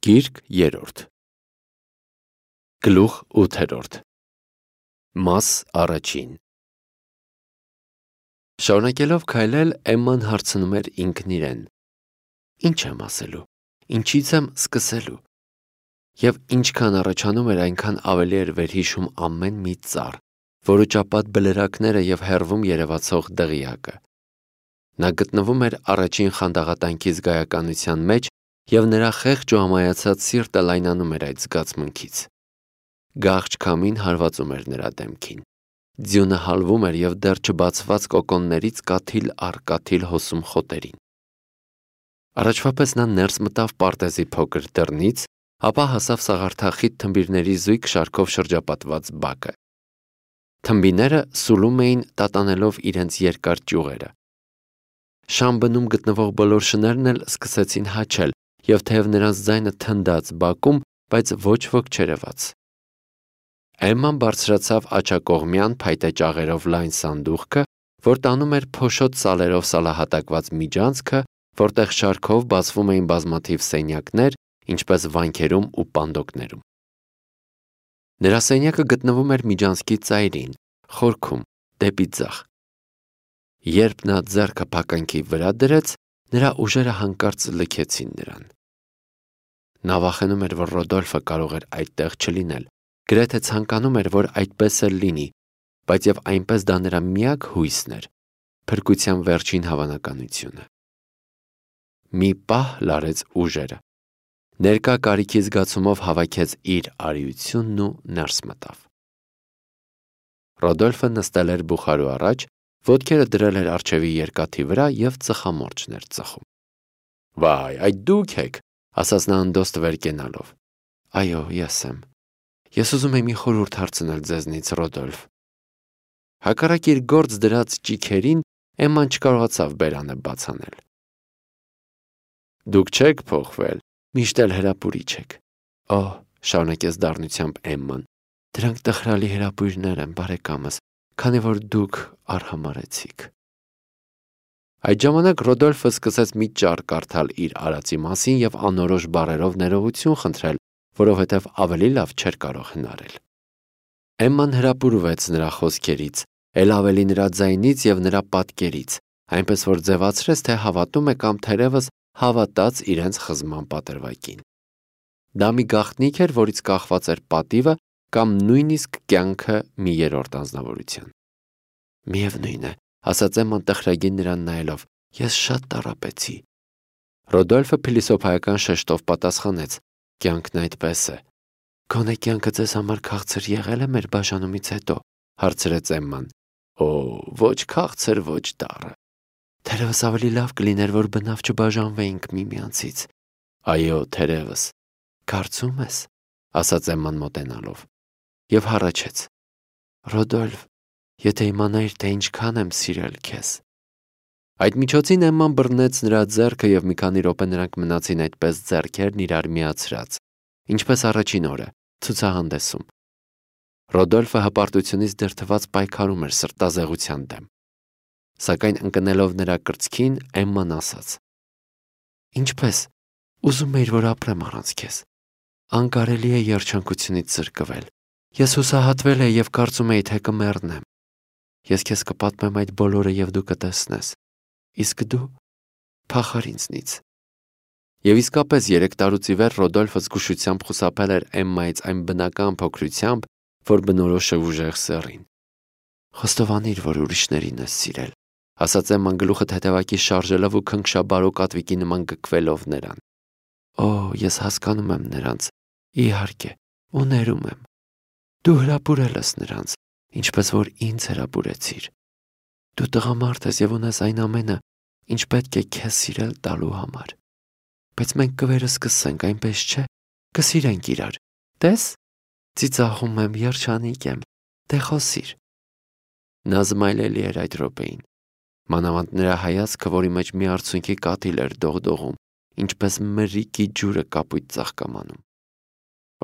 Գիրք 3 Գլուխ 8 Մաս 1 Շարունակելով քայլել, Էմման հարցնում էր ինքն իրեն. Ինչ եմ ասելու, ինչից եմ սկսելու։ Եվ ինչքան առաջանում էր, այնքան ավելի էր վերհիշում ամեն մի ծառ, որոճապատ բլրակները և հեռվում երևացող դղյակը։ Նա գտնվում էր առաջին խանդաղատանքի զգայականության մեջ, և նրա խեղճ ու ամայացած սիրտը լայնանում էր այդ զգացմունքից։ Գաղջ քամին հարվածում էր նրա դեմքին։ Ձյունը հալվում էր և դեռ չբացված կոկոններից կաթիլ առ կաթիլ հոսում խոտերին։ Առաջվա պես նա ներս մտավ պարտեզի փոքր դռնից, ապա հասավ սաղարթախիտ թմբիրների զույգ շարքով շրջապատված բակը։ Թմբիները սուլում էին, տատանելով իրենց երկար ճյուղերը։ Շամբնում գտնվող բոլոր շներն էլ սկսեցին հաչել, և թեև նրանց ձայնը թնդաց բակում, բայց ոչ ոք չերևաց։ Էմման բարձրացավ աջակողմյան փայտե ճաղերով լայն սանդուղքը, որ տանում էր փոշոտ սալերով սալահատակված միջանցքը, որտեղ շարքով բացվում էին բազմաթիվ սենյակներ, ինչպես վանքերում ու պանդոկներում։ Նրա սենյակը գտնվում էր միջանցքի ծայրին, խորքում, դեպի ձախ։ Երբ նա ձեռքը փականքի վրա դրեց, նրա ուժերը հանկարծ լքեցին նրան։ Նա վախենում էր, որ Ռոդոլֆը կարող էր այդտեղ չլինել, գրեթե ցանկանում էր, որ այդպես էլ լինի, բայց և այնպես դա նրա միակ հույսն էր, փրկության վերջին հավանականությունը։ Մի պահ լարեց ուժերը, ներկա կարիքի զգացումով հավաքեց իր արիությունն ու ներս մտավ։ Ռոդոլֆը նստել էր բուխարու առաջ, ոտքերը դրել էր առջևի երկաթի վրա և ծխամորճն էր ծխում։ Վայ, այդ դուք եք, ասաց նա անդոստ վեր կենալով։ Այո, ես եմ։ Ես ուզում եմ մի խորհուրդ հարցնել ձեզնից, Ռոդոլֆ։ Հակառակ իր գործ դրած ճիգերին, Էմման չկարողացավ բերանը բաց անել։ Դուք չեք փոխվել, միշտ էլ հրապուրիչ եք։ Օհ, շարունակեց դառնությամբ Էմման, դրանք տխրալի հրապույրներ են, բարեկամս, քանի որ դուք արհամարհեցիք։ Այդ ժամանակ Ռոդոլֆը սկսեց մի ճառ կարդալ իր արածի մասին և անորոշ բառերով ներողություն խնդրել, որովհետև ավելի լավ չէր կարող հնարել։ Էմման հրապուրվեց նրա խոսքերից, էլ ավելի նրա ձայնից և նրա պատկերից, այնպես որ ձևացրեց, թե հավատում է կամ թերևս հավատաց իրենց խզման պատրվակին։ Դա մի գաղտնիք էր, որից կախված էր պատիվը կամ նույնիսկ կյանքը մի երրորդ անձնավորության։ Միևնույն է, ասաց Էմման տխրագին նրան նայելով, ես շատ տառապեցի։ Ռոդոլֆը փիլիսոփայական շեշտով պատասխանեց. Կյանքն այդպես է։ Գոնե կյանքը ձեզ համար քաղցր եղել է մեր բաժանումից հետո, հարցրեց Էմման։ Օ, ոչ քաղցր, ոչ դառը։ Թերևս ավելի լավ կլիներ, որ բնավ չբաժանվեինք միմյանցից։ Այո, թերևս։ Կարծում ես, ասաց Էմման մոտենալով, և հառաչեց. Ռոդոլֆ, եթե իմանայիր, թե ինչքան եմ սիրել քեզ։ Այդ միջոցին Էմման բռնեց նրա ձեռքը և մի քանի րոպե նրանք մնացին այդպես ձեռքերն իրար միացրած, ինչպես առաջին օրը, ցուցահանդեսում։ Ռոդոլֆը հպարտությունից դրդված պայքարում էր սրտազեղության դեմ։ Սակայն ընկնելով նրա կրծքին, Էմման ասաց. Ինչպես, ուզում էիր, որ ապրեմ առանց քեզ։ Անկարելի է երջանկությունից զրկվել։ Ես հուսահատվել էի և կարծում էի, թե կմեռնեմ։ Ես քեզ կպատմեմ այդ բոլորը և դու կտեսնես։ Իսկ դու փախար ինձնից։ Եվ իսկապես 3 տարուց ի վեր Ռոդոլֆը զգուշությամբ խուսափել էր Էմմայից այն բնական փոքրությամբ, որ բնորոշ է ուժեղ սեռին։ Խոստովանիր, որ ուրիշներին ես սիրել, ասաց Էմման գլուխը թեթևակի շարժելով ու քնքշաբարո կատվիկի նման գկվելով նրան։ Օ, ես հասկանում եմ նրանց, իհարկե, ու ներում եմ։ Դու հրապուրել ես նրանց, ինչպես որ ինձ հրապուրեցիր։ Դու տղամարդ ես և ունես այն ամենը, ինչ պետք է քեզ սիրել տալու համար։ Բայց մենք կվերսկսենք, այնպես չէ։ Կսիրենք իրար։ Տես, ծիծաղում եմ, երջանիկ եմ, դե խոսիր։ Նա զմայլելի էր այդ րոպեին։ Մանավանդ նրա հայացքը, որի մեջ մի արցունքի կաթիլ էր դողդողում, ինչպես մրրիկի ջուրը կապույտ ծաղկամանում։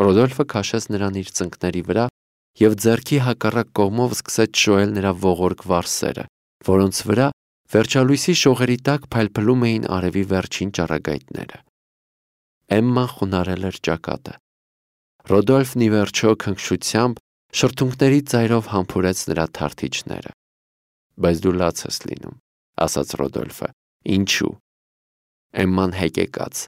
Ռոդոլֆը քաշեց նրան իր ծնկների վրա և ձեռքի հակառակ կողմով սկսեց շոյել նրա ողորկ վարսերը, որոնց վրա վերջալույսի շողերի տակ փայլփլում էին արևի վերջին ճառագայթները։ Էմման խունարել էր ճակատը։ Ռոդոլֆն ի վերջո քնքշությամբ շրթունքների ծայրով համբուրեց նրա թարթիչները։ Բայց դու լաց ես լինում, ասաց Ռոդոլֆը։ Ինչու։ Էմման հեկեկաց։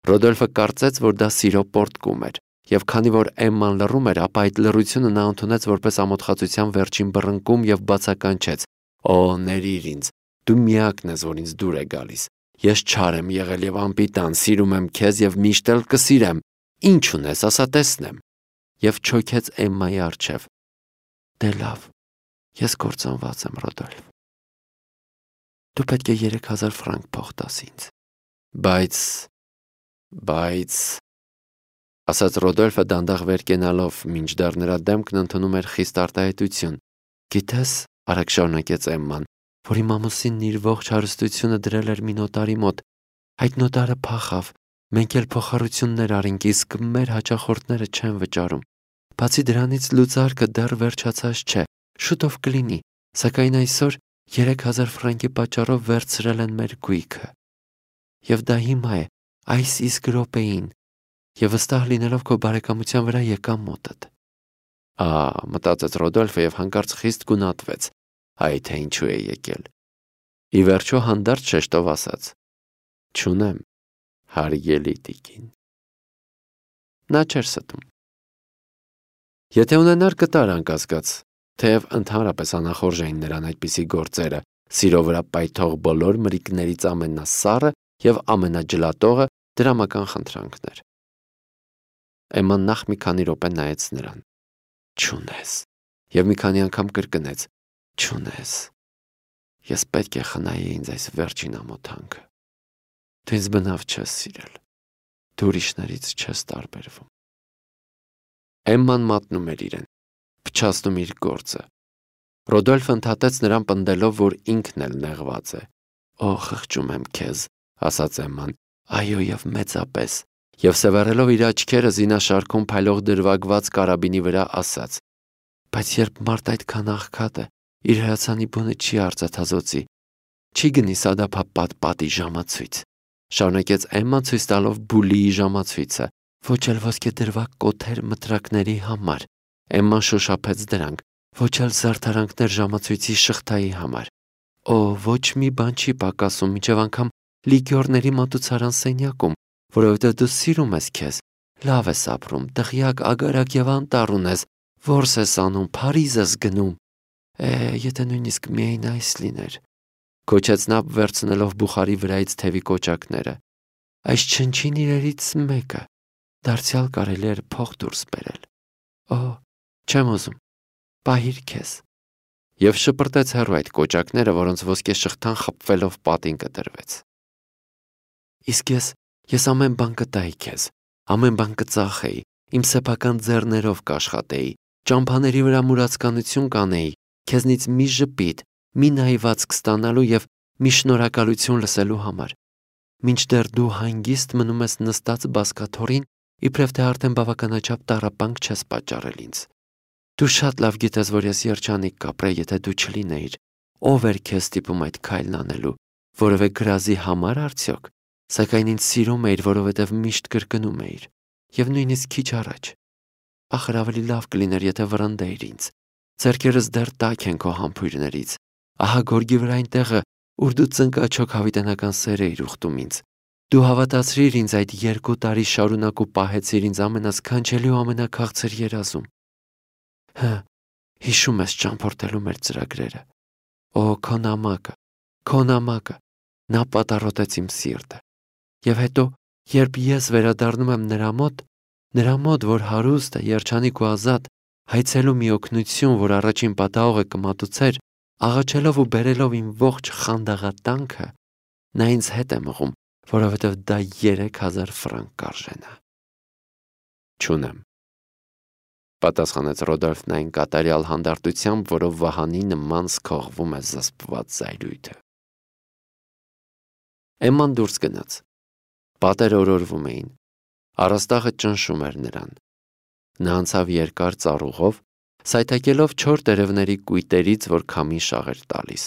Ռոդոլֆը կարծեց, որ դա սիրո պոռթկում էր, եւ քանի որ Էմման լռում էր, ապա այդ լռությունը նա ընդունեց որպես ամոթխածության վերջին բռնկում եւ բացականչեց. «Օ, ներիր ինձ, դու միակն ես, որ ինձ դուր է գալիս։ Ես չար եմ եղել եւ անպիտան, սիրում եմ քեզ եւ միշտ էլ կսիրեմ։ Ինչ ունես, ասա տեսնեմ»։ Եվ չոքեց Էմմայի առջև։ Դե լավ, ես կործանված եմ, Ռոդոլֆ։ Դու պետք է 3000 ֆրանկ փող տաս ինձ։ Բայց, ասաց Ռոդոլֆը դանդաղ վեր կենալով, մինչդեռ նրա դեմքն ընդունում էր խիստ արտահայտություն։ Գիտես, արագ շարունակեց Էմման, որ իմ ամուսինն իր ողջ հարստությունը դրել էր մի նոտարի մոտ։ Այդ նոտարը փախավ, մենք էլ փոխառություններ արինք, իսկ մեր հաճախորդները չեն վճարում։ Բացի դրանից լուծարկը դեռ վերջացած չէ, շուտով կլինի, սակայն այսօր 3000 ֆրանկի պատճառով վերցրել են մեր գույքը։ Եվ դա հիմա է, այս իսկ րոպեին, եւ վստահ լինելով քո բարեկամության վրա եկամ մոտդ։ Մտածեց Ռոդոլֆը եւ հանկարծ խիստ գունատվեց։ Այ թե ինչու է եկել։ Ի վերջո հանդարտ շեշտով ասաց. Չունեմ, հարգելի տիկին։ Նա չէր ստում։ Եթե ունենար կտար անկասկած, թեև ընդհանրապես անախորժ էին նրան այդպիսի գործերը, սիրո վրա պայթող բոլոր մրիկներից ամենասառը եւ ամենաջլատողը դրամական խնդրանքներ։ Էմման նախ մի քանի րոպե նայեց նրան։ Չունես։ Եվ մի քանի անգամ կրկնեց. Չունես։ Ես պետք է խնայի ինձ այս վերջին ամոթանքը։ Դու ինձ բնավ չես սիրել։ Դու ուրիշներից չես տարբերվում։ Էմման մատնում էր իրեն, փչացնում իր գործը։ Ռոդոլֆը ընդհատեց նրան պնդելով, որ ինքն էլ նեղված է։ Օ, խղճում եմ քեզ, ասաց Էմման, այո եւ մեծապես, եւ սևեռելով իր աչքերը զինաշարքում փայլող դրվագված կարաբինի վրա ասաց. բայց երբ մարդ այդքան աղքատ է, իր հրացանի բունը չի արծաթազոցի, չի գնի սադափապատ պատի ժամացույց, շարունակեց Էմման ցույց տալով բուլիի ժամացույցը, ոչ էլ ոսկե դրվագ կոթեր մտրակների համար, Էմման շոշափեց դրանք, ոչ էլ զարդարանքներ ժամացույցի շղթայի համար։ Օ, ոչ մի բան չի պակասում, մինչև անգամ լիգյորների մատուցարան սենյակում, որովհետև դու սիրում ես քեզ, լավ ես ապրում, տղյակ, ագարակ եւ անտառ ունես, որս ես անում, Փարիզ ես գնում։ Եթե նույնիսկ միայն այս լիներ, քոչեց նա վերցնելով բուխարի վրայից թևի կոճակները։ Այս չնչին իրերից մեկը, դարձյալ կարելի էր փող դուրս բերել։ Օ, չեմ ուզում, պահիր քեզ։ Եվ շպրտեց հեռու այդ կոճակները, որոնց ոսկե շղթան խփվելով պատին կտրվեց։ Իսկ ես ամեն բան կտայի քեզ, ամեն բան կծախեի, իմ սեփական ձեռներով կաշխատեի, ճամփաների վրա մուրացկանություն կանեի, քեզնից մի ժպիտ, մի նայվածք ստանալու եւ մի շնորհակալություն լսելու համար։ Մինչդեռ դու հանգիստ մնում ես նստած բազկաթոռին, իբրև թե արդեն բավականաչափ տառապանք չես պատճառել ինձ։ Դու շատ լավ գիտես, որ ես երջանիկ կապրեի, եթե դու չլինեիր։ Ով էր քեզ ստիպում այդ քայլն անելու, որևէ գրազի համար արդյոք, սակայն ինձ սիրում էիր, որովհետև միշտ կրկնում էիր, եւ նույնիսկ քիչ առաջ։ Ախր ավելի լավ կլիներ, եթե վռնդեիր ինձ։ Ձեռքերս դեռ տաք են քո համբույրներից։ Ահա գորգի վրա այն տեղը, ուր դու ծնկաչոք հավիտենական սեր էիր ուխտում ինձ։ Դու հավատացրիր ինձ այդ 2 տարի շարունակ ու պահեցիր ինձ ամենասքանչելի ու ամենաքաղցր երազում։ Հիշում ես ճամփորդելու մեր ծրագրերը։ Օ, քո նամակը, նա պատառոտեց իմ սիրտը։ Եվ հետո, երբ ես վերադառնում եմ նրա մոտ, որ հարուստ է, երջանիկ ու ազատ, հայցելու մի օգնություն, որ առաջին պատահողը կմատուցեր, աղաչելով ու բերելով իմ ողջ խանդաղատանքը, նա ինձ հետ է մղում, որովհետև դա 3000 ֆրանկ կարժենա։ Չունեմ, պատասխանեց Ռոդոլֆն այն կատարյալ հանդարտությամբ, որով վահանի նման սքողվում է զսպված զայրույթը։ Էմման դուրս գնաց։ Պատերը օրորվում էին։ Առաստաղը ճնշում էր նրան։ Նա անցավ երկար ծառուղով, սայթաքելով չոր տերևների կույտերից, որ քամի շաղ էր տալիս։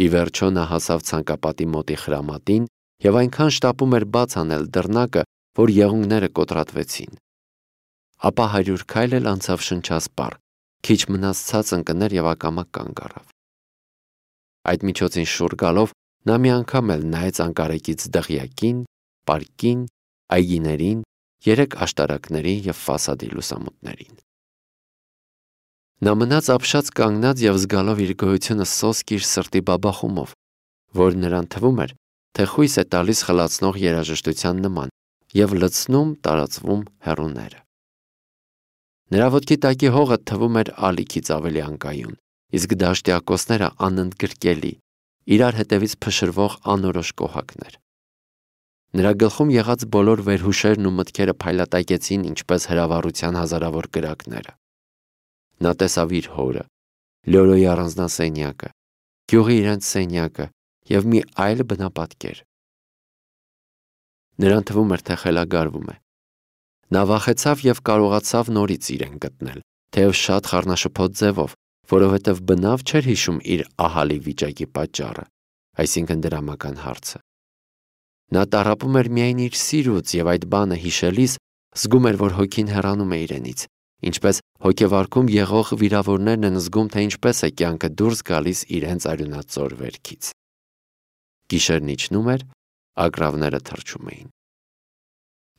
Ի վերջո նա հասավ ցանկապատի մոտի խրամատին եւ այնքան շտապում էր բաց անել դռնակը, որ եղունգները կոտրատվեցին։ Ապա 100 քայլ էլ անցավ շնչասպառ, քիչ մնաց ցած ընկներ եւ ակամա կանգ առավ։ Այդ միջոցին շուռ գալով նա մի անգամ էլ նայեց անկարեկից դղյակին, պարկին, այգիներին, 3 աշտարակներին եւ ֆասադի լուսամուտներին։ Նա մնաց ապշած կանգնած եւ զգալով իր գոյությունը սոսկ իր սրտի բաբախումով, որ նրան թվում էր, թե խույս է տալիս խլացնող երաժշտության նման եւ լցնում տարածվում հեռուները։ Նրա ոտքի տակի հողը թվում էր ալիքից ավելի անկայուն, իսկ դաշտի ակոսները անընդգրկելի, իրար հետևից փշրվող անորոշ կոհակներ։ Նրա գլխում եղած բոլոր վերհուշերն ու մտքերը փայլատակեցին ինչպես հրավառության հազարավոր կրակները։ Նա տեսավ իր հորը, Լյորոյի առանձնասենյակը, գյուղի իրենց սենյակը եւ մի այլ բնապատկեր։ Նրան թվում էր, թե խելագարվում է։ Նա վախեցավ եւ կարողացավ նորից իրեն գտնել, թեև շատ խառնաշփոթ ձևով, որովհետեւ բնավ չէր հիշում իր ահալի վիճակի պատճառը, այսինքն դրամական հարցը։ Նա տառապում էր միայն իր սիրուց եւ այդ բանը հիշելիս զգում էր, որ հոգին հեռանում է իրենից, ինչպես հոգեվարքում եղող վիրավորներն են զգում, թե ինչպես է կյանքը դուրս գալիս իրենց արյունածոր վերքից։ Գիշերն իջնում էր, ագռավները թռչում էին։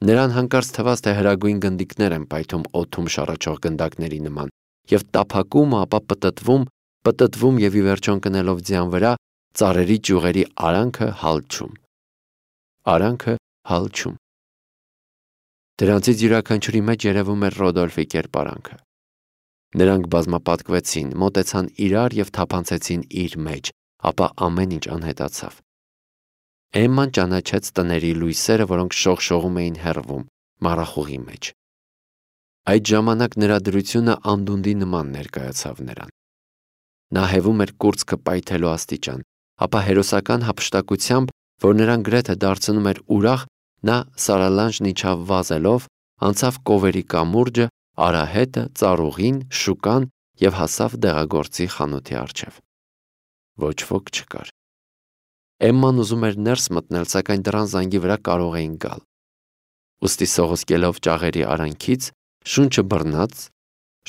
Նրան հանկարծ թվաց, թե հրագույն գնդիկներ են պայթում օդում շառաչող գնդակների նման եւ տափակում, ապա պտտվում եւ ի վերջո ընկնելով ձյան վրա ծառերի ճյուղերի արանքը հալչում։ Դրանցից յուրաքանչյուրի մեջ երևում էր Ռոդոլֆի կերպարանքը։ Նրանք բազմապատկվեցին, մոտեցան իրար եւ թափանցեցին իր մեջ, ապա ամեն ինչ անհետացավ։ Էմման ճանաչեց տների լույսերը, որոնք շողշողում էին հեռվում, մառախուղի մեջ։ Այդ ժամանակ նրա դրությունը անդունդի նման ներկայացավ նրան։ Նա հևում էր կուրծքը պայթելու աստիճան, ապա հերոսական հափշտակությամբ, որ նրան գրեթե դարձնում էր ուրախ, նա սարալանջն իջավ վազելով, անցավ կովերի կամուրջը, արահետը, ծառուղին, շուկան եւ հասավ դեղագործի խանութի առջև։ Ոչ ոք չկար։ Էմման ուզում էր ներս մտնել, սակայն դռան զանգի վրա կարող էին գալ։ Ուստի սողոսկելով ճաղերի արանքից, շունչը բռնած,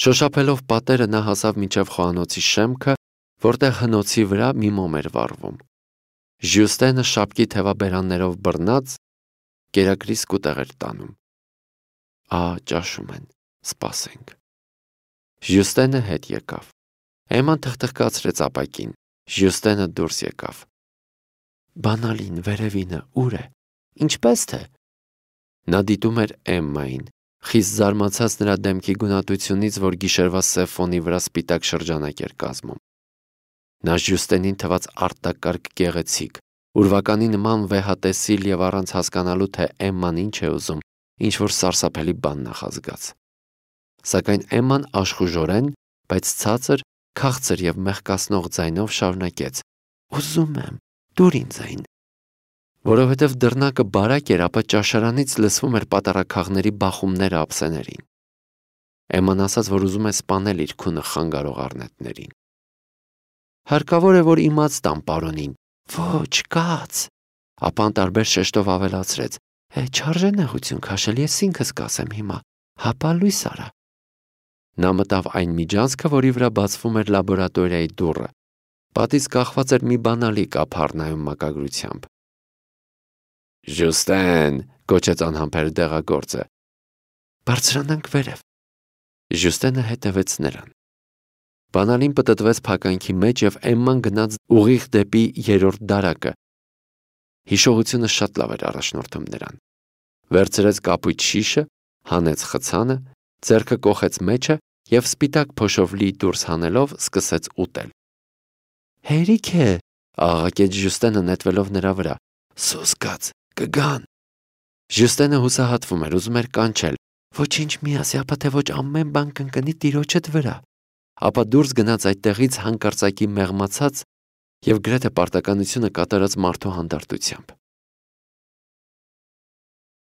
շոշափելով պատերը նա հասավ մինչև խոհանոցի շեմքը, որտեղ հնոցի վրա մի մոմ էր վառվում։ Ժյուստենը շապկի թևաբերաններով բռնած կերակրի սկուտեղ էր տանում։ Ճաշում են, սպասենք։ Ժյուստենը հետ եկավ։ Էմման թխթխկացրեց ապակին։ Ժյուստենը դուրս եկավ։ Բանալին, վերևինը, ուր է։ Ինչպես թե։ Նա դիտում էր Էմմային, խիստ զարմացած նրա դեմքի գունատությունից, որ գիշերվա սև ֆոնի վրա սպիտակ շրջանակ էր կազմում։ Նա Ժյուստենին թվաց արտակարգ գեղեցիկ, ուրվականի նման վեհատեսիլ եւ առանց հասկանալու, թե Էմման ինչ է ուզում, ինչ որ սարսափելի բան նախազգաց։ Սակայն Էմման աշխուժորեն, բայց ցածր, քաղցր եւ մեղկացնող ձայնով շարունակեց. Ուզում եմ, դուր ինձ այն։ Որովհետև դռնակը բարակ էր, ապա ճաշարանից լսվում էր պատառաքաղների բախումները ափսեներին։ Էմման ասաց, որ ուզում է սպանել իր քունը խանգարող առնետներին։ Հարկավոր է, որ իմաց տամ պարոնին։ Ոչ, կաց։ Ապա անտարբեր շեշտով ավելացրեց. Չարժե նեղություն քաշել, ես ինքս կասեմ հիմա, հապա լույս արա։ Նա մտավ այն միջանցքը, որի վրա բացվում էր լաբորատորիայի դուռը։ Պատից կախված էր մի բանալի կապ հառնայում մակագրությամբ։ Ժյուստեն, կոչեց անհամբեր դեղագործը։ Բարձրանանք վերև։ Ժյուստենը հետևեց նրան։ Բանալին պտտվեց փականքի մեջ եւ Էմման գնաց ուղիղ դեպի 3-րդ դարակը։ Հիշողությունը շատ լավ էր առաջնորդում նրան։ Վերցրեց կապույտ շիշը, հանեց խցանը, ձեռքը կոխեց մեջը եւ սպիտակ փոշով լի դուրս հանելով սկսեց ուտել։ Հերիք է, աղաղակեց Ժյուստենը նետվելով նրա վրա։ Սոսկաց, կգան։ Ժյուստենը հուսահատվում էր, ուզում էր կանչել. Ոչինչ մի ասի, ապա թե ոչ ամեն բան կընկնի տիրոջդ վրա։ Ապա դուրս գնաց այդտեղից հանկարծակի մեղմացած եւ գրեթե պարտականությունը կատարած մարդու հանդարտությամբ։